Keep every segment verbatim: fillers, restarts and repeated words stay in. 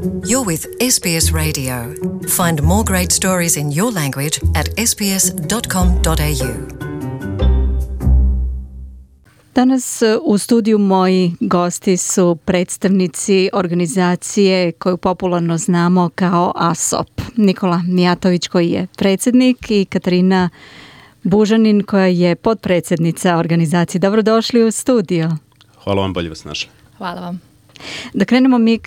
You're with S B S Radio. Find more great stories in your language at s b s dot com dot a u. Danas u studiju moji gosti su predstavnici organizacije koju popularno znamo kao A S O P. Nikola Mijatović koji je predsjednik i Katarina Bužanin koja je potpredsjednica organizacije. Dobrodošli u studio. Hvala vam, bolje vas našli. Hvala vam. Da krenemo mi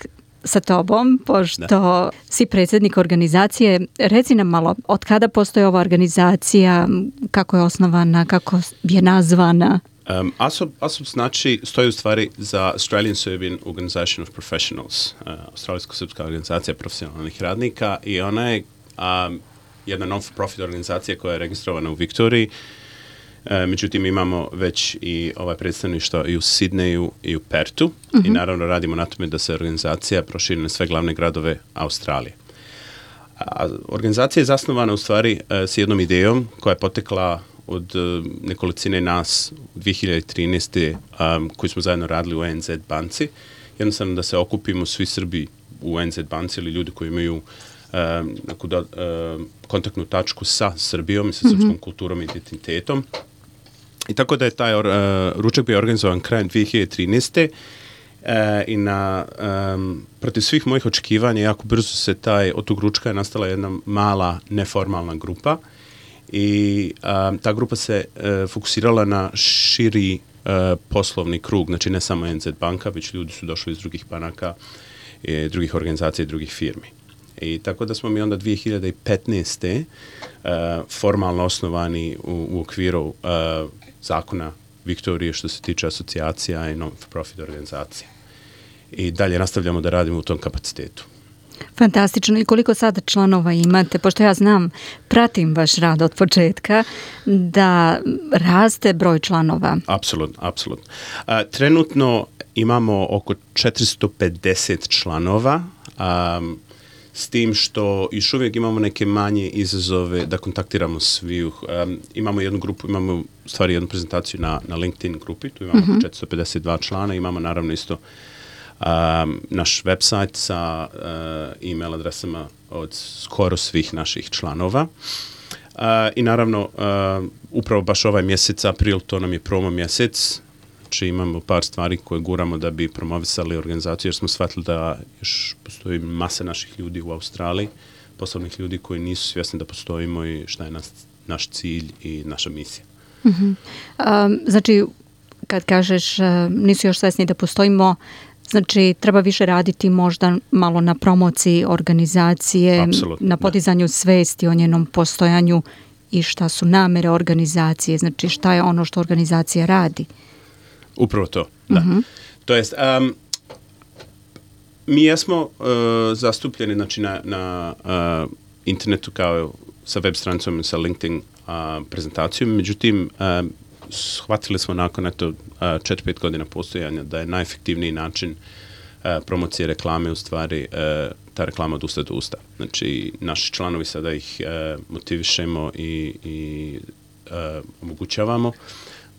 sa tobom, pošto da. si predsjednik organizacije. Reci nam malo, od kada postoji ova organizacija, kako je osnovana, kako je nazvana? Um, A S O P, A S O P znači, stoji u stvari za Australian Serbian Organization of Professionals, uh, Australijsko-srpska organizacija profesionalnih radnika, i ona je um, jedna non-profit organizacija koja je registrovana u Viktoriji. E, međutim, imamo već i ovaj predstavništvo i u Sidneju i u Pertu uh-huh. i naravno radimo na tome da se organizacija proširi na sve glavne gradove Australije. A, organizacija je zasnovana u stvari e, s jednom idejom koja je potekla od e, nekolicine nas u dvije hiljade trinaeste. Um, koji smo zajedno radili u A N Z banci. Jednostavno da se okupimo svi Srbi u A N Z banci ili ljudi koji imaju um, neku do, um, kontaktnu tačku sa Srbijom i sa srpskom mm-hmm. kulturom i identitetom. I tako da je taj uh, ručak bio organizovan krajem dvije hiljade trinaeste. Uh, i na, um, protiv svih mojih očekivanja jako brzo se taj, od tog ručka je nastala jedna mala neformalna grupa i um, ta grupa se uh, fokusirala na širi uh, poslovni krug, znači ne samo A N Z banka, već ljudi su došli iz drugih banaka, i drugih organizacija i drugih firmi. I tako da smo mi onda dvije hiljade petnaeste. Uh, formalno osnovani u, u okviru uh, zakona Viktorije što se tiče asocijacija i non-profit organizacija. I dalje nastavljamo da radimo u tom kapacitetu. Fantastično. I koliko sada članova imate? Pošto ja znam, pratim vaš rad od početka, da raste broj članova. Apsolutno, apsolutno. Uh, trenutno imamo oko četiristo pedeset članova, um, s tim što još uvijek imamo neke manje izazove da kontaktiramo svi. Um, imamo jednu grupu, imamo u stvari jednu prezentaciju na, na LinkedIn grupi, tu imamo uh-huh. četiristo pedeset dva člana, imamo naravno isto um, naš website sa uh, e-mail adresama od skoro svih naših članova. Uh, I naravno, uh, upravo baš ovaj mjesec, april, to nam je promo mjesec. Znači imamo par stvari koje guramo da bi promovisali organizaciju, jer smo shvatili da još postoji masa naših ljudi u Australiji, poslovnih ljudi koji nisu svjesni da postojimo i šta je nas, naš cilj i naša misija. Uh-huh. Um, znači, kad kažeš uh, nisu još svjesni da postojimo, znači treba više raditi možda malo na promociji organizacije, Absolutno, na podizanju da. svesti o njenom postojanju i šta su namere organizacije, znači šta je ono što organizacija radi. Upravo to, da. Uh-huh. To jest, um, mi jesmo uh, zastupljeni znači, na, na uh, internetu kao sa web stranicom, sa LinkedIn uh, prezentacijom, međutim, uh, shvatili smo nakon eto, uh, četiri pet godina postojanja da je najefektivniji način uh, promocije reklame u stvari uh, ta reklama od usta do usta. Znači, naši članovi sada ih uh, motivišemo i, i uh, omogućavamo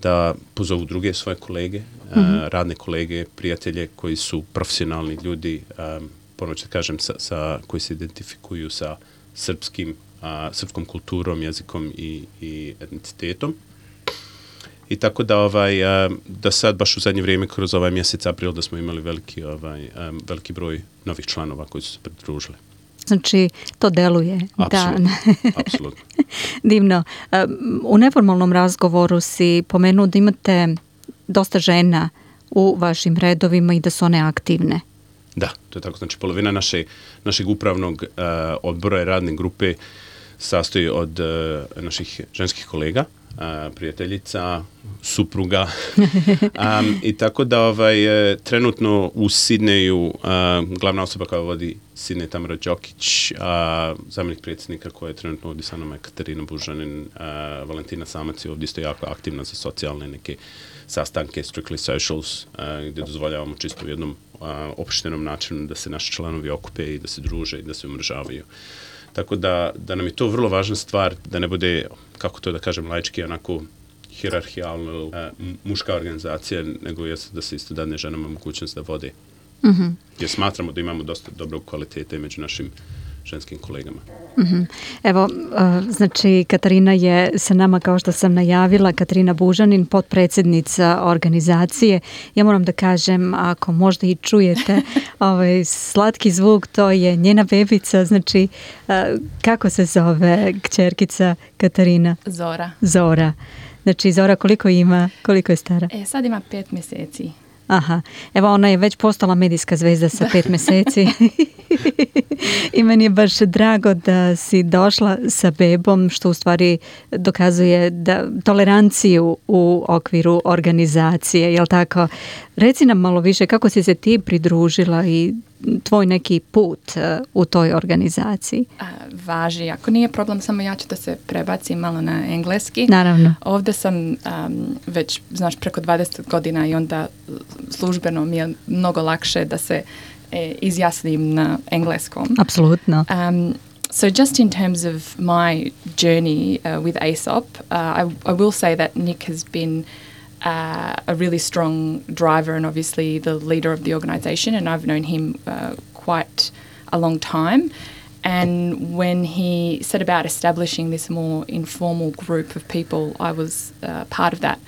da pozovu druge svoje kolege, mm-hmm. uh, radne kolege, prijatelje koji su profesionalni ljudi, um, ponovno ću da kažem, sa, sa, koji se identifikuju sa srpskim, uh, srpskom kulturom, jezikom i, i etnicitetom. I tako da, ovaj, uh, da sad baš u zadnje vrijeme, kroz ovaj mjesec april, da smo imali veliki, ovaj, um, veliki broj novih članova koji su se pridružili. Znači, to deluje. Apsolutno. Apsolutno. Divno. U neformalnom razgovoru si pomenuo da imate dosta žena u vašim redovima i da su one aktivne. Da, to je tako. Znači, polovina naše, našeg upravnog uh, odbora i radne grupe sastoji od uh, naših ženskih kolega, uh, prijateljica, supruga. um, I tako da ovaj, trenutno u Sidneju uh, glavna osoba koja vodi Sidney Tamara Đokić, a zamjenik predsjednika koja je trenutno ovdje sa nama je Katarina Bužanin, uh, Valentina Samac je ovdje isto jako aktivna za socijalne neke sastanke, strictly socials, uh, gdje dozvoljavamo čisto u jednom uh, opštenom načinu da se naši članovi okupe i da se druže i da se umržavaju. Tako da, da nam je to vrlo važna stvar, da ne bude, kako to da kažem laički, onako hirarhijalno uh, muška organizacija, nego je da se isto dadne ženama mogućnost da vode Mm-hmm. Jer smatramo da imamo dosta dobro kvalitete među našim ženskim kolegama. Mm-hmm. Evo, uh, znači Katarina je sa nama, kao što sam najavila, Katarina Bužanin, potpredsjednica organizacije. Ja moram da kažem, ako možda i čujete ovaj slatki zvuk, to je njena bebica. Znači, uh, kako se zove kćerkica Katarina? Zora. Zora. Znači, Zora koliko ima, koliko je stara? E, sad ima pet mjeseci. Aha, evo ona je već postala medijska zvezda sa pet mjeseci i meni je baš drago da si došla sa bebom, što u stvari dokazuje da toleranciju u okviru organizacije, jel tako? Reci nam malo više kako si se ti pridružila i tvoj neki put u toj organizaciji. A, važi, ako nije problem, samo ja ću da se prebacim malo na engleski. Naravno. Ovdje sam um, već, znaš, preko dvadeset godina i onda službeno mi je mnogo lakše da se e, izjasnim na engleskom. Apsolutno. Um, so just in terms of my journey uh, with A S O P, uh, I, I will say that Nick has been Uh, a really strong driver and obviously the leader of the organisation, and I've known him uh, quite a long time. And when he set about establishing this more informal group of people, I was uh, part of that.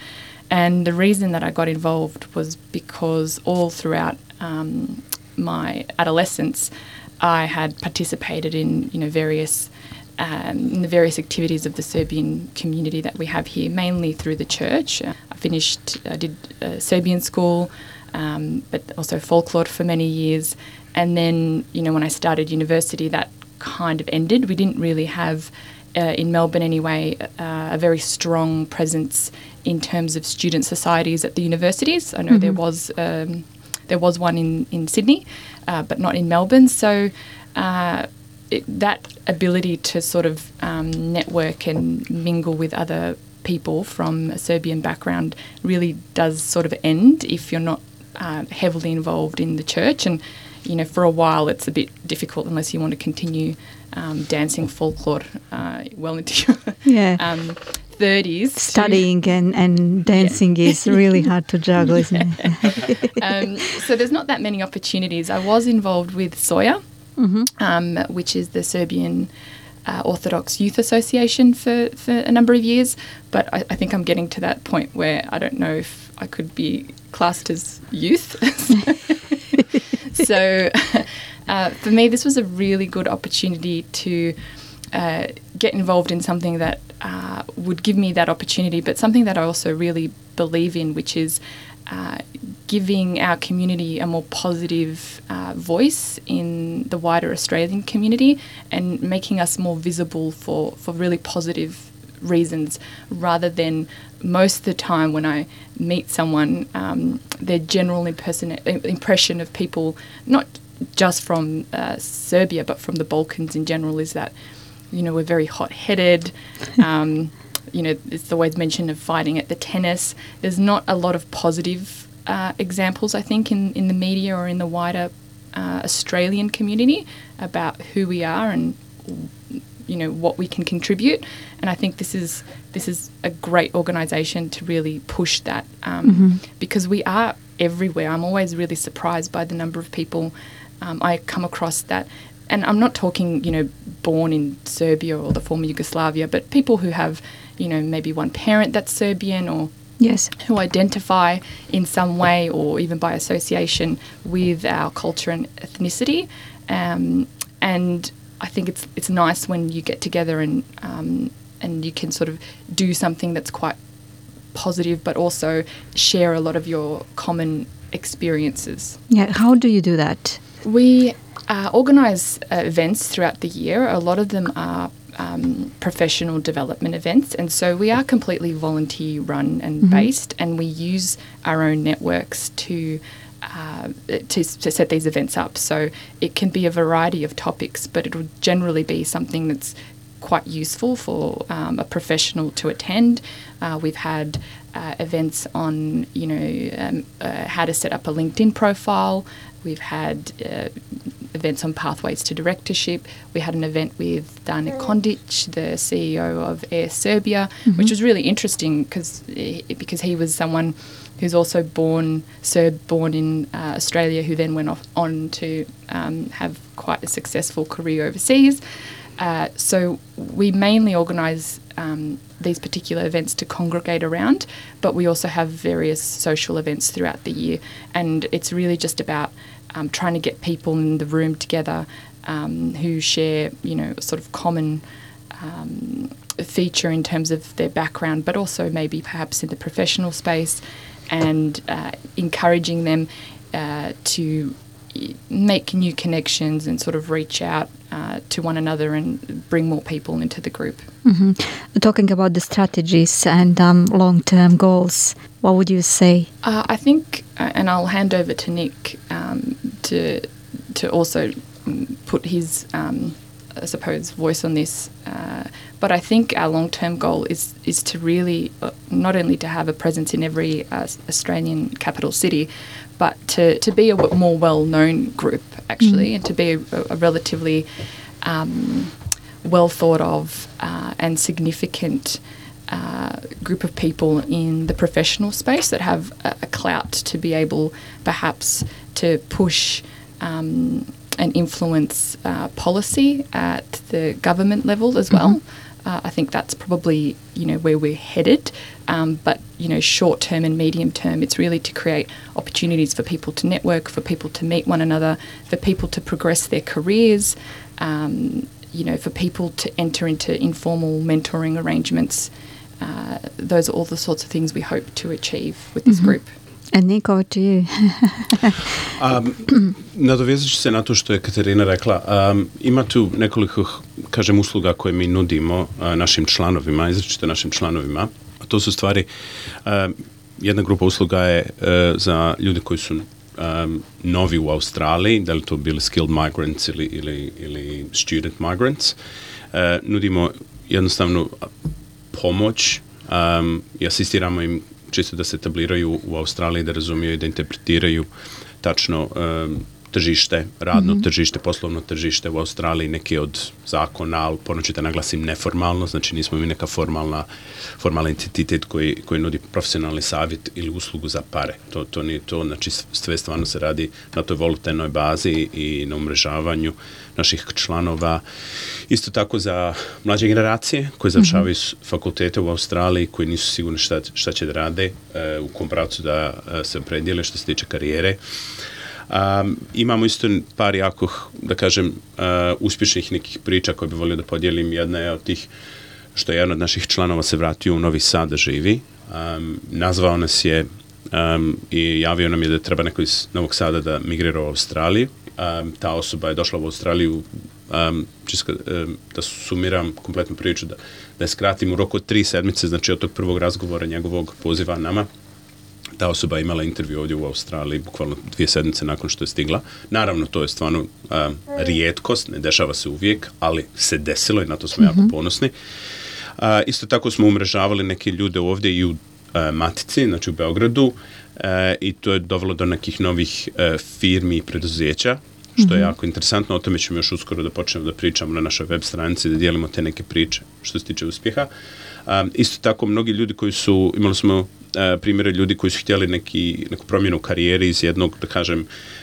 And the reason that I got involved was because all throughout um, my adolescence, I had participated in, you know, various Um, in the various activities of the Serbian community that we have here, mainly through the church. Uh, I finished, I did uh, Serbian school, um, but also folklore for many years. And then, you know, when I started university, that kind of ended. We didn't really have, uh, in Melbourne anyway, uh, a very strong presence in terms of student societies at the universities. I know mm-hmm. there was um, there was one in, in Sydney, uh, but not in Melbourne. So uh, It, that ability to sort of um, network and mingle with other people from a Serbian background really does sort of end if you're not uh, heavily involved in the church. And, you know, for a while it's a bit difficult unless you want to continue um, dancing folklore uh, well into your yeah. um, thirties. Studying to, and, and dancing yeah. is really hard to juggle, isn't it? um, so there's not that many opportunities. I was involved with Soja. Mm-hmm. Um, which is the Serbian uh, Orthodox Youth Association for, for a number of years. But I, I think I'm getting to that point where I don't know if I could be classed as youth. so uh, for me, this was a really good opportunity to uh, get involved in something that uh, would give me that opportunity, but something that I also really believe in, which is Uh, giving our community a more positive uh, voice in the wider Australian community and making us more visible for, for really positive reasons, rather than most of the time when I meet someone, um, their general imperson- impression of people, not just from uh, Serbia but from the Balkans in general, is that, you know, we're very hot-headed. Um, you know, it's always mention of fighting at the tennis. There's not a lot of positive uh, examples, I think, in, in the media or in the wider uh, Australian community about who we are and, you know, what we can contribute. And I think this is this is a great organisation to really push that um, mm-hmm. because we are everywhere. I'm always really surprised by the number of people um, I come across that. And I'm not talking, you know, born in Serbia or the former Yugoslavia, but people who have, you know, maybe one parent that's Serbian, or yes, who identify in some way or even by association with our culture and ethnicity. Um, and I think it's it's nice when you get together and um, and you can sort of do something that's quite positive, but also share a lot of your common experiences. Yeah, how do you do that? We uh, organise uh, events throughout the year. A lot of them are um, professional development events, and so we are completely volunteer run and mm-hmm. based, and we use our own networks to uh, to, to set these events up. So it can be a variety of topics, but it will generally be something that's quite useful for um, a professional to attend. Uh, we've had uh, events on, you know, um, uh, how to set up a LinkedIn profile. We've had uh, events on pathways to directorship. We had an event with Dane Kondic, the C E O of Air Serbia, mm-hmm. which was really interesting because because he was someone who's also born, Serb born in uh, Australia, who then went off on to um, have quite a successful career overseas. Uh, so we mainly organise um, these particular events to congregate around, but we also have various social events throughout the year, and it's really just about um, trying to get people in the room together um, who share, you know, sort of common um, feature in terms of their background, but also maybe perhaps in the professional space, and uh, encouraging them uh, to make new connections and sort of reach out uh, to one another and bring more people into the group. Mm-hmm. Talking about the strategies and um, long-term goals, what would you say? Uh, I think, uh, and I'll hand over to Nick um, to to also put his, um, I suppose, voice on this. Uh, but I think our long-term goal is is to really uh, not only to have a presence in every uh, Australian capital city, but to, to be a w- more well-known group, actually, mm. and to be a, a relatively um, well thought of uh, and significant uh, group of people in the professional space that have a, a clout to be able perhaps to push um, and influence uh, policy at the government level as well. Mm-hmm. Uh, I think that's probably, you know, where we're headed. Um, but, you know, short term and medium term, it's really to create opportunities for people to network, for people to meet one another, for people to progress their careers, um, you know, for people to enter into informal mentoring arrangements. Uh, those are all the sorts of things we hope to achieve with this mm-hmm. group. And Nico, to you. um, nadovezat ću se na to što je Katarina rekla. Um, ima tu nekoliko, kažem, usluga koje mi nudimo uh, našim članovima, izričito našim članovima. A to su stvari, uh, jedna grupa usluga je uh, za ljude koji su um, novi u Australiji, da li to bili skilled migrants ili, ili, ili student migrants. Uh, nudimo jednostavnu pomoć um, i asistiramo im čisto da se etabliraju u Australiji, da razumiju i da interpretiraju tačno um, tržište, radno mm-hmm. tržište, poslovno tržište u Australiji, neki od zakona, ali ponoći da naglasim neformalno, znači nismo mi neka formalna, formalna entitet koji, koji nudi profesionalni savjet ili uslugu za pare. To, to nije to, znači sve stvarno se radi na toj volontarnoj bazi i na umrežavanju naših članova. Isto tako za mlađe generacije koji završavaju mm-hmm. fakultete u Australiji, koji nisu sigurni šta, šta će da rade, uh, u kom pravcu da uh, se opredijele što se tiče karijere. Um, imamo isto par jako, da kažem, uh, uspješnih nekih priča koje bi volio da podijelim. Jedna je od tih što je jedan od naših članova se vratio u Novi Sad da živi. Um, nazvao nas je um, i javio nam je da treba neko iz Novog Sada da migrira u Australiju. Um, ta osoba je došla u Australiju, um, čisto, um, da sumiram kompletnu priču, da, da je skratim u roku od tri sedmice, znači od tog prvog razgovora njegovog poziva nama. Ta osoba je imala intervju ovdje u Australiji, bukvalno dvije sedmice nakon što je stigla. Naravno, to je stvarno um, rijetkost, ne dešava se uvijek, ali se desilo i na to smo mm-hmm. jako ponosni. Uh, isto tako smo umrežavali neke ljude ovdje i u uh, Matici, znači u Beogradu, uh, i to je dovelo do nekih novih uh, firmi i preduzeća, što mm-hmm. je jako interesantno. O tome ćemo još uskoro da počnemo da pričamo na našoj web stranici, da dijelimo te neke priče što se tiče uspjeha. Um, isto tako, mnogi ljudi koji su, imali smo uh, primjere ljudi koji su htjeli neki, neku promjenu u karijeri iz jednog, da kažem,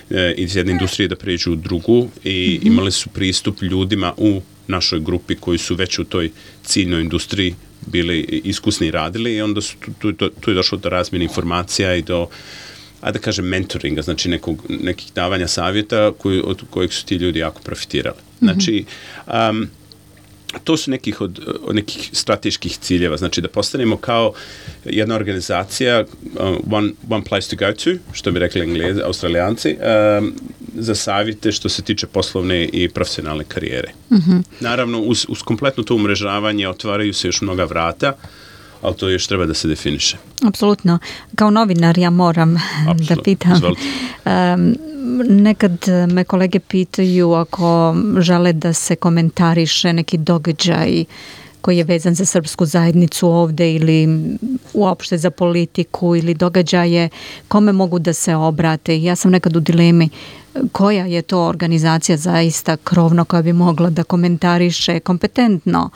uh, iz jedne industrije da pređu u drugu i mm-hmm. imali su pristup ljudima u našoj grupi koji su već u toj ciljnoj industriji bili iskusni i radili i onda su tu, tu, tu je došlo do razmjene informacija i do, a da kažem, mentoringa, znači nekog, nekih davanja savjeta koji, od kojeg su ti ljudi jako profitirali. Mm-hmm. Znači, um, to su nekih od, od nekih strateških ciljeva, znači da postanemo kao jedna organizacija, uh, one, one place to go to, što bi rekli Englezi, Australijanci, um, za savjete što se tiče poslovne i profesionalne karijere. Mm-hmm. Naravno, uz, uz kompletno to umrežavanje otvaraju se još mnoga vrata, ali to još treba da se definiše. Apsolutno. Kao novinar ja moram Absolut. da pitam. Um, nekad me kolege pitaju ako žele da se komentariše neki događaj koji je vezan za srpsku zajednicu ovdje ili uopšte za politiku ili događaje, kome mogu da se obrate. Ja sam nekad u dilemi koja je to organizacija zaista krovno koja bi mogla da komentariše kompetentno.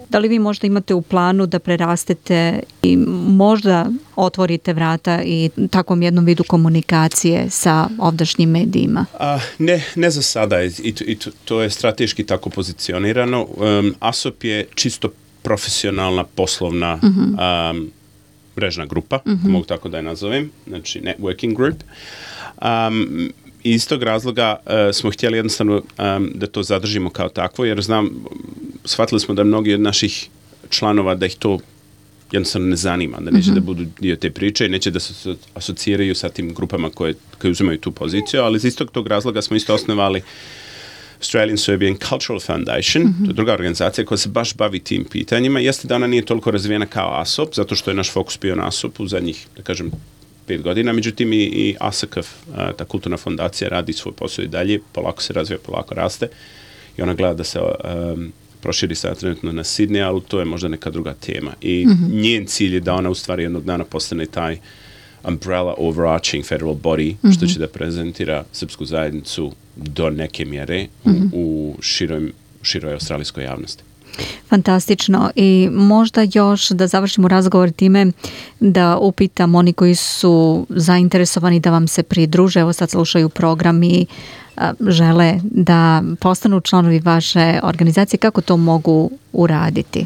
Da li vi možda imate u planu da prerastete i možda otvorite vrata i takvom jednom vidu komunikacije sa ovdašnjim medijima? A, ne, ne za sada i, i, i to je strateški tako pozicionirano. Um, A S O P je čisto profesionalna poslovna uh-huh. um, mrežna grupa, uh-huh. mogu tako da je nazovem, znači networking group. Um, iz tog razloga uh, smo htjeli jednostavno um, da to zadržimo kao takvo, jer znam, shvatili smo da mnogi od naših članova da ih to jednostavno ne zanima, da neće uh-huh. da budu dio te priče i neće da se asociraju sa tim grupama koje, koje uzimaju tu poziciju, ali iz istog tog razloga smo isto osnovali Australian Serbian Cultural Foundation, mm-hmm. to je druga organizacija koja se baš bavi tim pitanjima. Jeste da ona nije toliko razvijena kao A S O P, zato što je naš fokus bio na A S O P u zadnjih, da kažem, pet godina. Međutim, i, i A S K F, ta kulturna fondacija, radi svoj posao i dalje, polako se razvija, polako raste i ona gleda da se um, proširi sada trenutno na Sydney, ali to je možda neka druga tema. I mm-hmm. njen cilj je da ona u stvari jednog dana postane taj umbrella overarching federal body, mm-hmm. što će da prezentira srpsku zajednicu do neke mjere mm-hmm. u, u široj, široj australijskoj javnosti. Fantastično. I možda još da završimo razgovor time da upitam oni koji su zainteresovani da vam se pridruže, evo sad slušaju program i a, žele da postanu članovi vaše organizacije, kako to mogu uraditi?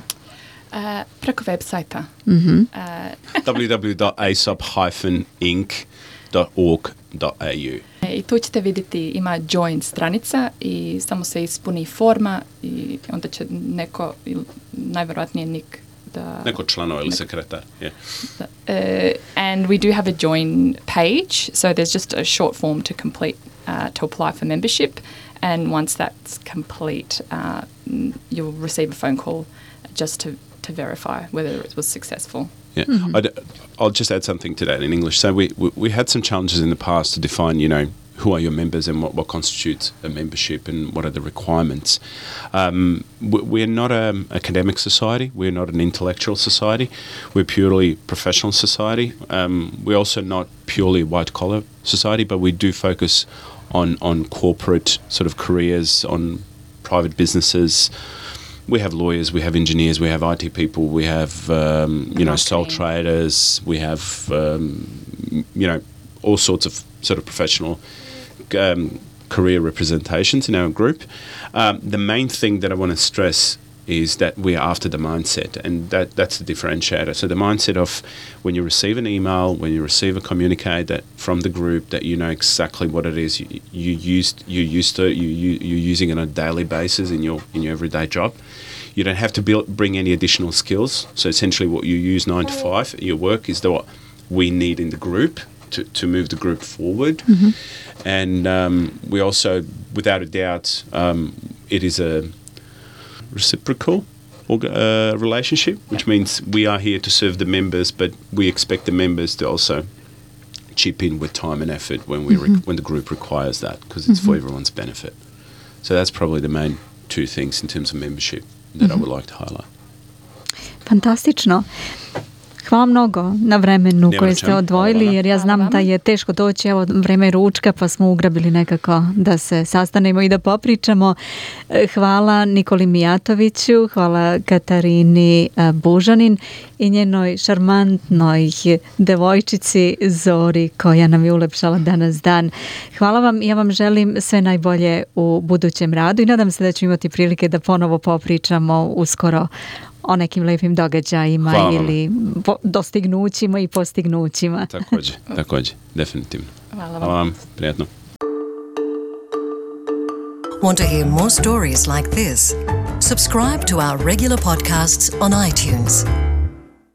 Uh, preko websajta. Mm-hmm. Uh, w w w dot a s o p dash inc dot org dot a u. I tu ćete vidjeti, ima join stranica i samo se ispuni forma i onda će neko, najvjerojatnije Nik, da... Neko članova ili sekretar, yeah. Da, uh, and we do have a join page, so there's just a short form to complete, uh, to apply for membership, and once that's complete, uh, you'll receive a phone call just to, to verify whether it was successful. Yeah, mm-hmm. I'd, I'll just add something to that in English. So we, we we had some challenges in the past to define, you know, who are your members and what, what constitutes a membership and what are the requirements. Um, we're not an academic society. We're not an intellectual society. We're purely professional society. Um, we're also not purely white-collar society, but we do focus on, on corporate sort of careers, on private businesses. We have lawyers, we have engineers, we have I T people, we have, um, you know, sole traders, we have, um, you know, all sorts of sort of professional um, career representations in our group. Um, the main thing that I want to stress is that we are after the mindset, and that, that's the differentiator. So the mindset of when you receive an email, when you receive a communique that from the group, that you know exactly what it is you, you used you used to you, you you're using it on a daily basis in your in your everyday job. You don't have to build, bring any additional skills. So essentially, what you use nine to five at your work is the, what we need in the group to to move the group forward. Mm-hmm. And um, we also, without a doubt, um, it is a reciprocal uh, relationship, which means we are here to serve the members, but we expect the members to also chip in with time and effort when we mm-hmm. re- when the group requires that, because it's mm-hmm. for everyone's benefit. So that's probably the main two things in terms of membership that mm-hmm. I would like to highlight. Fantastično. Hvala mnogo na vremenu Nema koje ste čem. odvojili, jer ja znam da je teško doći, evo vreme ručka, pa smo ugrabili nekako da se sastanemo i da popričamo. Hvala Nikoli Mijatoviću, hvala Katarini Bužanin i njenoj šarmantnoj devojčici Zori koja nam je ulepšala danas dan. Hvala vam i ja vam želim sve najbolje u budućem radu i nadam se da ću imati prilike da ponovo popričamo uskoro o nekim lepim događajima ili po, dostignućima i postignućima. Također, također, definitivno. Hvala vam. Hvala vam, prijatno. Want to hear more stories like this? Subscribe to our regular podcasts on iTunes.